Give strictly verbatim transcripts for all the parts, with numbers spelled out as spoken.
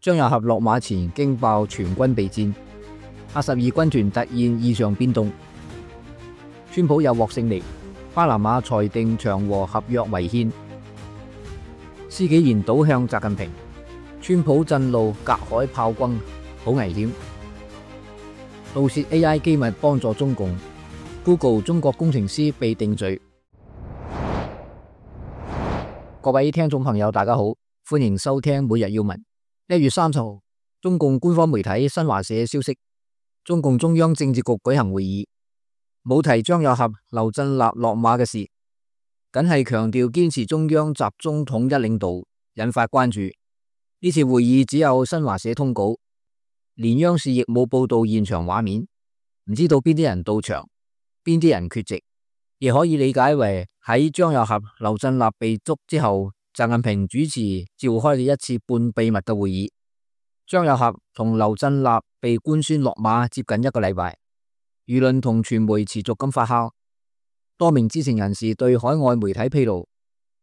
張又俠落馬前驚爆全軍備戰，八十二軍團突然異常變動，川普又獲勝利，巴拿馬裁定長和合約違憲，施紀賢倒向習近平，川普震怒隔海炮轟，好危險。盜竊 A I 機密幫助中共 ，Google 中國工程師被定罪。各位聽眾朋友，大家好，歡迎收聽每日要聞。一月三十號，中共官方媒體新華社消息，中共中央政治局舉行會議，冇提張又俠、劉振立落馬嘅事，僅係強調堅持中央集中統一領導，引發關注。呢次會議只有新華社通稿，連央視亦冇報道現場畫面，唔知道邊啲人到場，邊啲人缺席，亦可以理解為喺張又俠、劉振立被捉之後，習近平主持召開嘅一次半秘密嘅會議。張又俠同劉振立被官宣落馬接近一個禮拜，輿論同傳媒持續咁發酵。多名知情人士對海外媒體披露，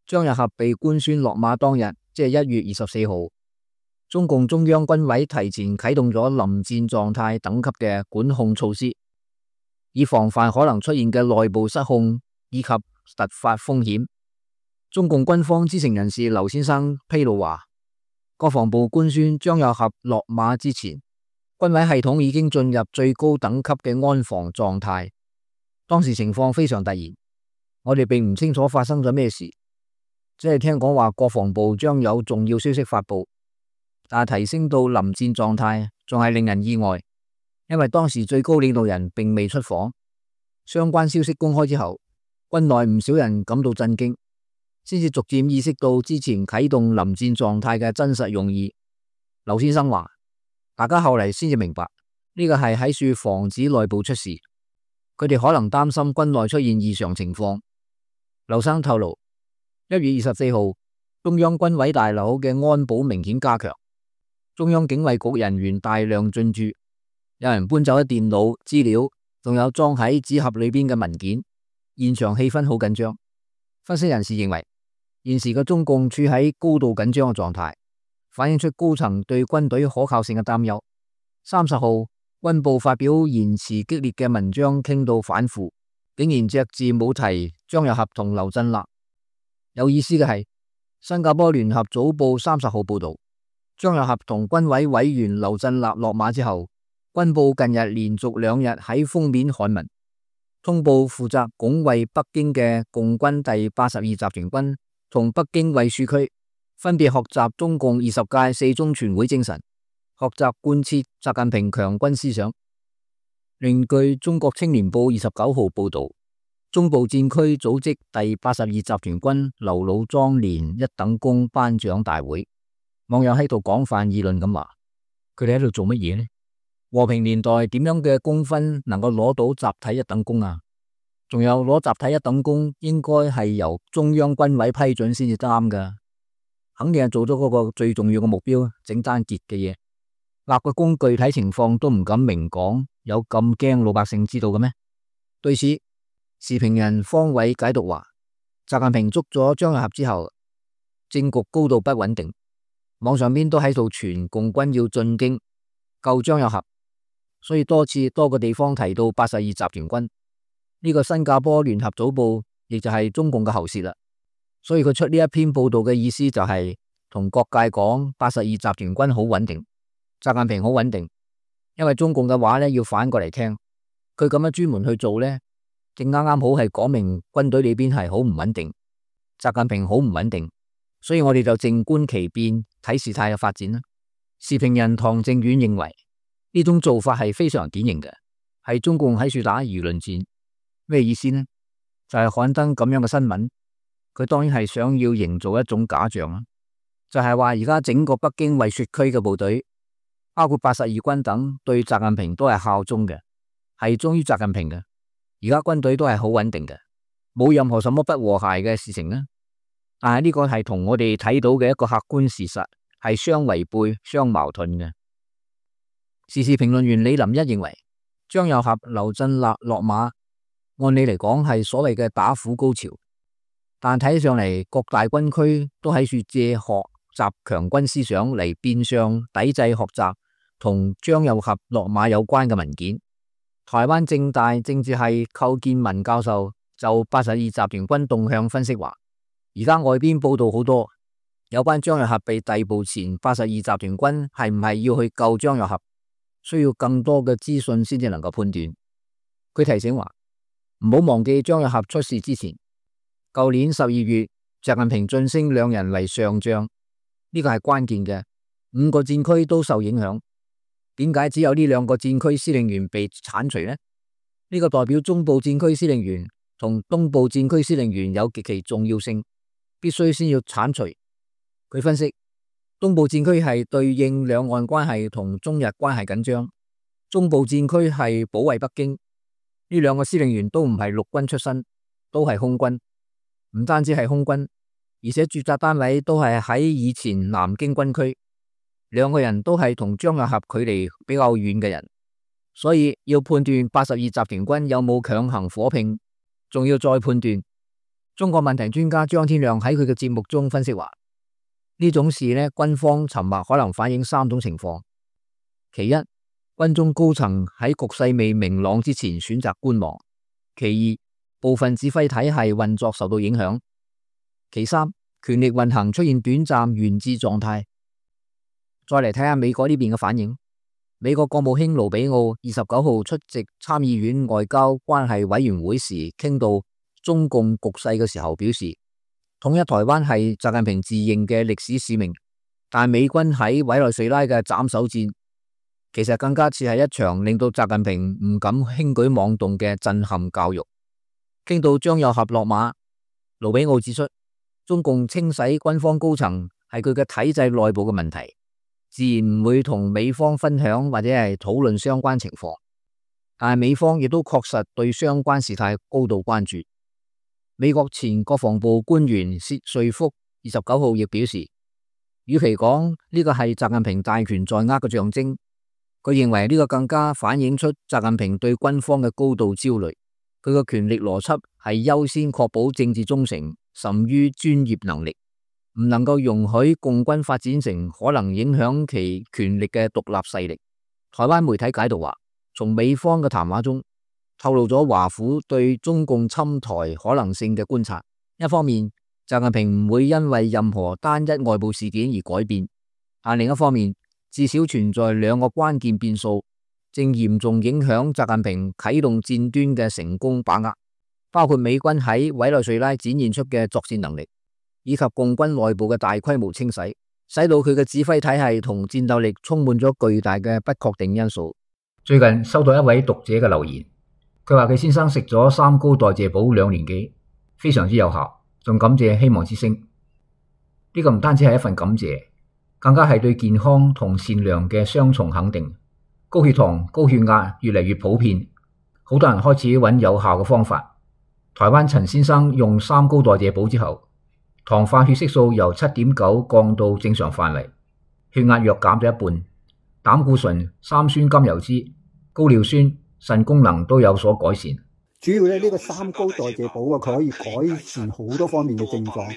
張又俠被官宣落馬當日，即係一月二十四號，中共中央軍委提前啟動咗臨戰狀態等級嘅管控措施，以防範可能出現嘅內部失控以及突發風險。中共軍方知情人士劉先生披露話，國防部官宣張又俠落馬之前，軍委系統已經進入最高等級嘅安防狀態。當時情況非常突然，我哋並唔清楚發生咗咩事，只係聽講話國防部將有重要消息發布，但係提升到臨戰狀態仲係令人意外，因為當時最高領導人並未出訪。相關消息公開之後，軍內唔少人感到震驚，先至逐漸意識到之前啟動臨戰狀態嘅真實用意。劉先生話，大家後嚟先至明白，呢個係喺處防止內部出事，佢哋可能擔心軍內出現異常情況。劉生透露，一月二十四號，中央軍委大樓嘅安保明顯加強，中央警衛局人員大量進駐，有人搬走咗電腦資料，仲有裝喺紙盒裏邊嘅文件，現場氣氛好緊張。分析人士認為，現時嘅中共處喺高度緊張嘅狀態，反映出高層對軍隊可靠性嘅擔憂。三十號，軍報發表言辭激烈嘅文章，傾到反腐，竟然隻字冇提張又俠同劉振立。有意思嘅係，新加坡聯合早報三十號報道，張又俠同軍委委員劉振立落馬之後，軍報近日連續兩日喺封面刊文，通報負責拱衛北京嘅共軍第八十二集團軍同北京衛戍區分別學習中共二十屆四中全會精神，學習貫徹習近平強軍思想。另據中國青年報二十九號報道，中部戰區組織第八十二集團軍劉老莊連一等功頒獎大會，網友喺度廣泛議論咁話，佢哋喺度做乜嘢呢？和平年代點樣嘅功勳能夠攞到集體一等功啊？仲有攞集體一等功應該係由中央軍委批准先至啱噶，肯定係做咗嗰個最重要嘅目標，整單傑嘅嘢。立個功具體情況都唔敢明講，有咁驚老百姓知道嘅咩？對此，時評人方偉解讀話，習近平捉咗張又俠之後，政局高度不穩定，網上邊都喺度傳共軍要進京救張又俠，所以多次多個地方提到八十二集團軍。呢個新加坡聯合早報亦就係中共嘅喉舌啦，所以佢出呢一篇報道嘅意思就係同各界講八十二集團軍好穩定，習近平好穩定，因為中共嘅話呢要反過嚟聽，佢咁樣專門去做呢，正啱啱好係講明軍隊裏邊係好唔穩定，習近平好唔穩定，所以我哋就靜觀其變，睇事態嘅發展啦。時評人唐正遠認為呢種做法係非常典型嘅，係中共喺處打輿論戰。咩意思呢？就係刊登咁樣嘅新聞，佢當然係想要營造一種假象啦，就係話而家整個北京衛戍區嘅部隊，包括八十二軍等，對習近平都係效忠嘅，係忠於習近平嘅。而家軍隊都係好穩定嘅，冇任何什麼不和諧嘅事情啦。但係呢個係同我哋睇到嘅一個客觀事實係相違背、相矛盾嘅。時事評論員李林一認為，張又俠、劉振立落馬，按理嚟講係所謂嘅打虎高潮，但睇上嚟各大軍區都喺處借殼習強軍思想嚟變相抵制學習同張又俠落馬有關嘅文件。台灣政大政治系寇建文教授就八十二集團軍動向分析話，而家外邊報道好多有關張又俠被逮捕前，八十二集團軍係唔係要去救張又俠，需要更多嘅資訊先至能夠判斷。佢提醒話，唔好忘記張又俠出事之前，舊年十二月習近平晉升兩人為上將，呢個係關鍵嘅，五個戰區都受影響。點解只有呢兩個戰區司令員被鏟除呢？呢個代表中部戰區司令員同東部戰區司令員有極其重要性，必須先要鏟除。佢分析，東部戰區係對應兩岸關係同中日關係緊張，中部戰區係保衛北京。呢兩個司令員都唔係陸軍出身，都係空軍，唔單止係空軍，而且駐紮單位都係喺以前南京軍區。兩個人都係同張又俠距離比較遠嘅人，所以要判斷八十二集團軍有冇強行火拼，仲要再判斷。中國問題專家張天亮喺佢嘅節目中分析話，呢種事呢，軍方沉默可能反映三種情況：其一，軍中高層喺局勢未明朗之前選擇觀望；其二，部分指揮體系運作受到影響；其三，權力運行出現短暫懸置狀態。再嚟睇下美國呢邊嘅反應。美國國務卿盧比奧二十九號出席參議院外交關係委員會時，傾到中共局勢嘅時候表示，統一台灣係習近平自認嘅歷史使命，但美軍喺委內瑞拉嘅斬首戰，其實更加似係一場令到習近平唔敢輕舉妄動嘅震撼教育。傾到張又俠落馬，盧比奧指出，中共清洗軍方高層係佢嘅體制內部嘅問題，自然唔會同美方分享或者係討論相關情況，但係美方亦都確實對相關事態高度關注。美國前國防部官員薛瑞福二十九號亦表示，與其講呢個係習近平大權在握嘅象徵，佢認為呢個更加反映出習近平對軍方嘅高度焦慮。佢嘅權力邏輯係優先確保政治忠誠，甚於專業能力，唔能夠容許共軍發展成可能影響其權力嘅獨立勢力。台灣媒體解讀話，從美方嘅談話中透露咗華府對中共侵台可能性嘅觀察。一方面，習近平唔會因為任何單一外部事件而改變，但另一方面，至少存在兩個關鍵變數，正嚴重影響習近平啟動戰端嘅成功把握，包括美軍喺委內瑞拉展現出嘅作戰能力，以及共軍內部嘅大規模清洗，使到佢嘅指揮體系同戰鬥力充滿咗巨大嘅不確定因素。最近收到一位讀者嘅留言，佢話佢先生食咗三高代謝補兩年幾，非常之有效，仲感謝希望之聲。呢個唔單止係一份感謝，更加係對健康同善良嘅雙重肯定。高血糖、高血壓越嚟越普遍，好多人開始揾有效嘅方法。台灣陳先生用三高代謝補之後，糖化血色素由七點九降到正常範圍，血壓約減咗一半，膽固醇、三酸甘油酯、高尿酸、腎功能都有所改善。主要咧呢個三高代謝補啊，佢可以改善好多方面嘅症狀，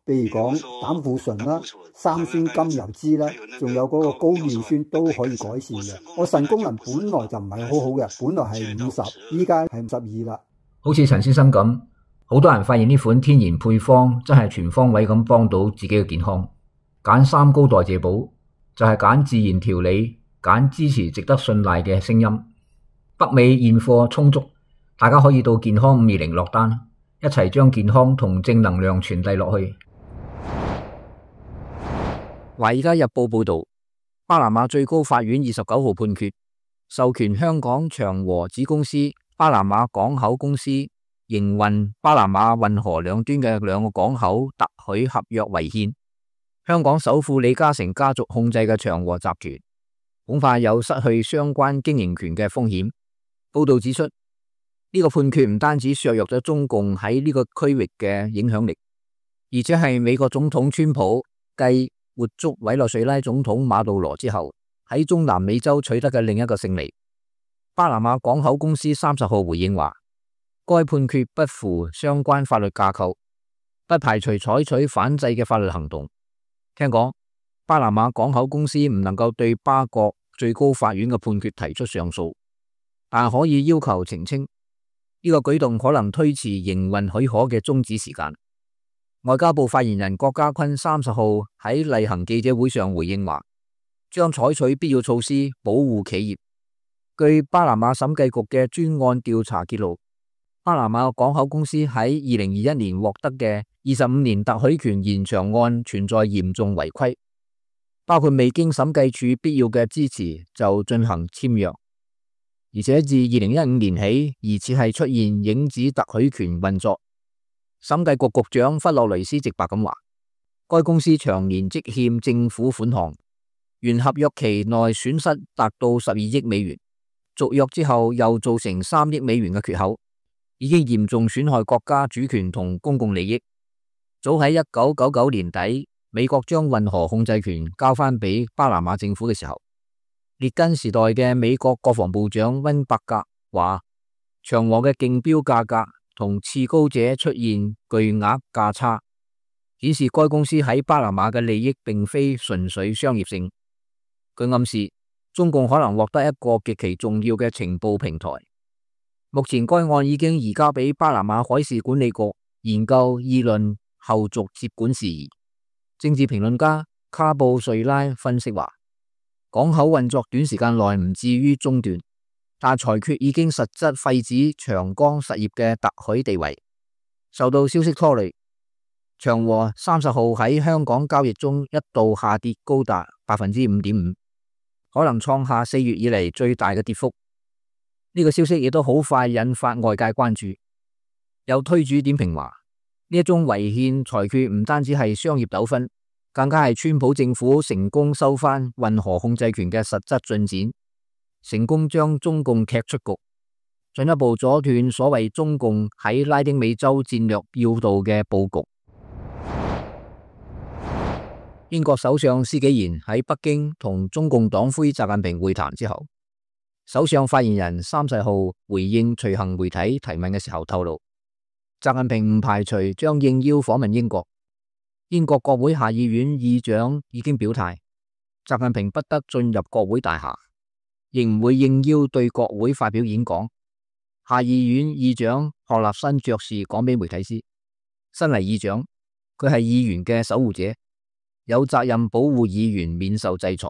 譬如講膽固醇啦、三酸甘油酯啦，仲有嗰個高尿酸都可以改善嘅。我腎功能本來就唔係好好嘅，本來係五十，依家係五十二啦。好似陳先生咁，好多人發現呢款天然配方真係全方位咁幫到自己嘅健康。揀三高代謝補就係揀自然調理，揀支持值得信賴嘅聲音。北美現貨充足，大家可以到健康五二零落單，一齊將健康同正能量傳遞落去。華爾街日報報道，巴拿馬最高法院二十九號判決，授權香港長和子公司巴拿馬港口公司營運巴拿馬運河兩端嘅兩個港口特許合約違憲。香港首富李嘉誠家族控制嘅長和集團恐怕有失去相關經營權嘅風險。報道指出，呢個判決唔單止削弱咗中共喺呢個區域嘅影響力，而且係美國總統川普繼活捉委內瑞拉總統馬杜羅之後喺中南美洲取得嘅另一個勝利。巴拿馬港口公司三十號回應話，該判決不符相關法律架構，不排除採取反制嘅法律行動。聽講巴拿馬港口公司唔能夠對巴國最高法院嘅判決提出上訴，但可以要求澄清。呢個舉動可能推遲營運許可嘅終止時間。外交部發言人郭家坤三十號喺例行記者會上回應話，將採取必要措施保護企業。據巴拿馬審計局嘅專案調查揭露，巴拿馬港口公司喺二零二一年獲得嘅二十五年特許權延長案存在嚴重違規，包括未經審計處必要嘅支持就進行簽約，而且自二零一五年起疑似係出現影子特許權運作。審計局局長弗洛雷斯直白咁話，該公司長年積欠政府款項，原合約期內損失達到十二億美元，續約之後又造成三億美元嘅缺口，已經嚴重損害國家主權同公共利益。早喺一九九九年底，美國將運河控制權交翻俾巴拿馬政府嘅時候，列根時代嘅美國國防部長溫伯格話，長和嘅競標價格同次高者出現巨額價差，顯示該公司喺巴拿馬嘅利益並非純粹商業性。佢暗示中共可能獲得一個極其重要嘅情報平台。目前該案已經移交俾巴拿馬海事管理局研究議論後續接管事宜。政治評論家卡布瑞拉分析話，港口運作短時間內唔至於中斷，但裁決已經實質廢止長江實業嘅特許地位。受到消息拖累，長和三十號喺香港交易中一度下跌高達百分之五點五，可能創下四月以嚟最大嘅跌幅。呢、這個消息亦都好快引發外界關注。有推主點評話，呢一宗違憲裁決唔單止係商業糾紛，更加係川普政府成功收翻運河控制權嘅實質進展，成功將中共踢出局，進一步阻斷所謂中共喺拉丁美洲戰略要道嘅布局。英國首相施紀賢喺北京同中共黨魁習近平會談之後，首相發言人三十號回應隨行媒體提問嘅時候透露，習近平唔排除將應邀訪問英國。英國國會下議院議長已經表態，習近平不得進入國會大廈，亦唔會應邀對國會發表演講。下議院議長何立新爵士講俾媒體知，身為議長，佢係議員嘅守護者，有責任保護議員免受制裁。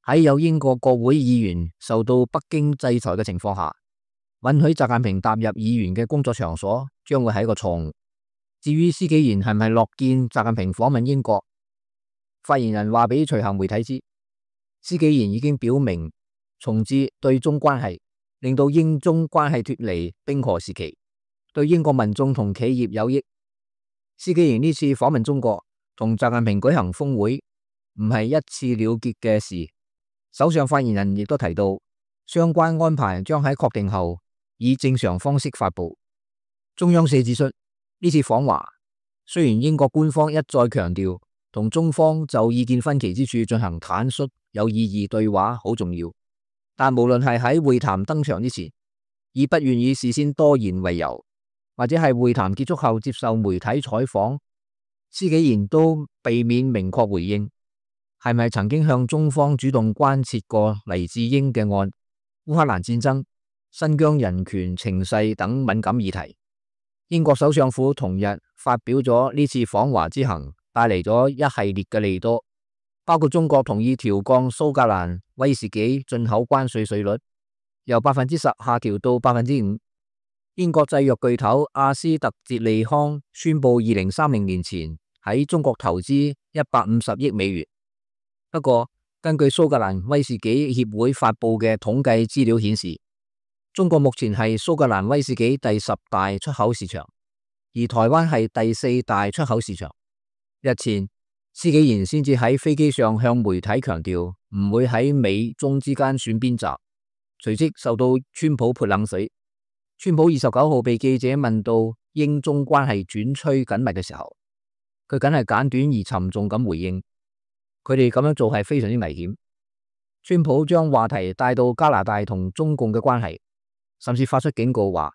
喺有英國國會議員受到北京制裁嘅情況下，允許習近平踏入議員嘅工作場所，將會係一個錯誤。至於施紀賢係唔係樂見習近平訪問英國，發言人話俾隨行媒體知，施紀賢已經表明重置對中關係，令到英中關係脫離冰河時期，對英國民眾同企業有益。施紀賢呢次訪問中國，同習近平舉行峰會，唔係一次了結嘅事。首相發言人亦都提到，相關安排將喺確定後以正常方式發布。中央社指出，呢次訪華雖然英國官方一再強調同中方就意見分歧之處進行坦率有意義對話好重要，但無論係喺會談登場之前，以不願意事先多言為由，或者係會談結束後接受媒體採訪，施紀賢都避免明確回應係咪曾經向中方主動關切過黎智英嘅案、烏克蘭戰爭、新疆人權情勢等敏感議題。英國首相府同日發表咗呢次訪華之行帶嚟咗一系列嘅利多，包括中國同意調降蘇格蘭威士忌進口關稅稅率，由百分之十下調到百分之五。英國製藥巨頭阿斯特捷利康宣布二零三零年前喺中國投資一百五十億美元。不過，根據蘇格蘭威士忌協會發布嘅統計資料顯示，中國目前係蘇格蘭威士忌第十大出口市場，而台灣係第四大出口市場。日前，施紀賢先至喺飛機上向媒體強調唔會喺美中之間選邊站，隨即受到川普潑冷水。川普二十九號被記者問到英中關係轉趨緊密嘅時候，佢梗係簡短而沉重咁回應，佢哋咁樣做係非常之危險。川普將話題帶到加拿大同中共嘅關係，甚至發出警告話，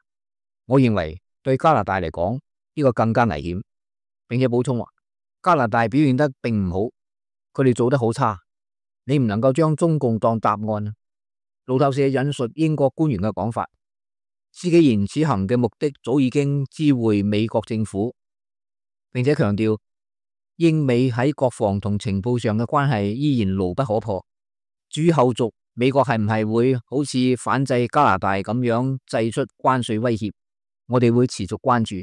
我認為對加拿大嚟講呢個更加危險，並且補充話加拿大表現得並唔好，佢哋做得好差，你唔能夠將中共當答案。路透社引述英國官員嘅講法，施紀賢此行嘅目的早已經知會美國政府，並且強調英美喺國防同情報上嘅關係依然牢不可破。至於後續，美國係唔係會好似反制加拿大咁樣祭出關稅威脅，我哋會持續關注。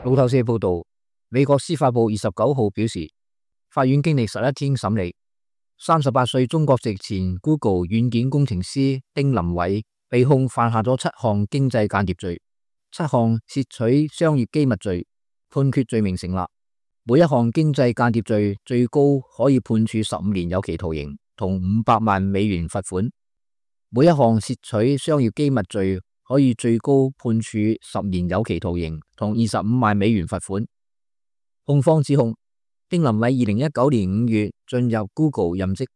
路透社報道，美國司法部二十九號表示，法院經歷十一天審理，三十八歲中國籍前 Google 軟件工程師丁林偉被控犯下咗七項經濟間諜罪，七項竊取商業機密罪，判決罪名成立。每一項經濟間諜罪最高可以判處十五年有期徒刑同五百萬美元罰款，每一項竊取商業機密罪可以最高判處十年有期徒刑同二十五萬美元罰款。控方指控丁林偉二零一九年五月進入 Google 任職，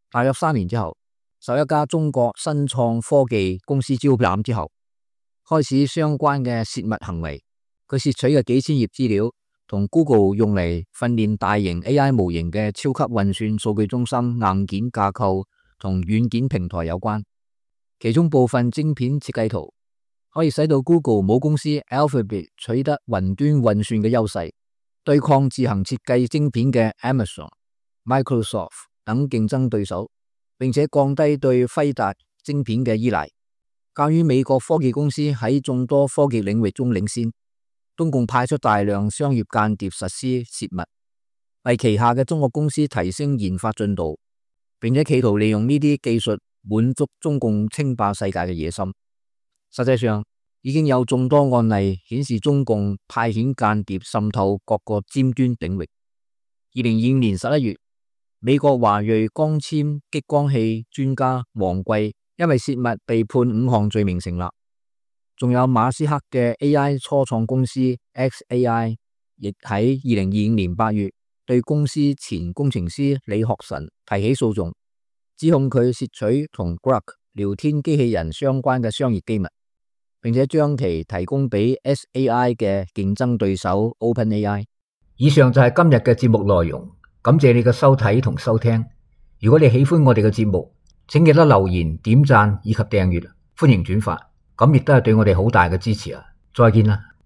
大約三年之後，受一家中國新創科技公司招攬之後，開始相關嘅洩密行為。佢竊取嘅幾千頁資料同 Google 用嚟訓練大型 A I 模型嘅超級運算數據中心硬件架構同軟件平台有關，其中部分晶片設計圖可以使到 Google 母公司 Alphabet 取得雲端運算嘅優勢，對抗自行設計晶片嘅 Amazon、Microsoft 等競爭對手，並且降低對輝達晶片嘅依賴。鑒於美國科技公司喺眾多科技領域中領先，中共派出大量商業間諜實施洩密，為旗下嘅中國公司提升研發進度，並且企圖利用呢啲技術滿足中共稱霸世界嘅野心。實際上，已經有眾多案例顯示中共派遣間諜滲透各個尖端領域。二零二五年十一月，美國華裔光纖激光器專家王貴因為洩密被判五項罪名成立。仲有馬斯克嘅 A I 初創公司 X A I， 亦喺二零二五年八月對公司前工程師李學臣提起訴訟，指控佢竊取同 Grok 聊天機器人相關嘅商業機密，並且將其提供俾 S A I 嘅競爭對手 OpenAI。以上就係今日嘅節目內容，感謝你嘅收睇同收聽。如果你喜歡我哋嘅節目，請記得留言、點讚以及訂閱，歡迎轉發。咁亦都係對我哋好大嘅支持啊！再見啦〜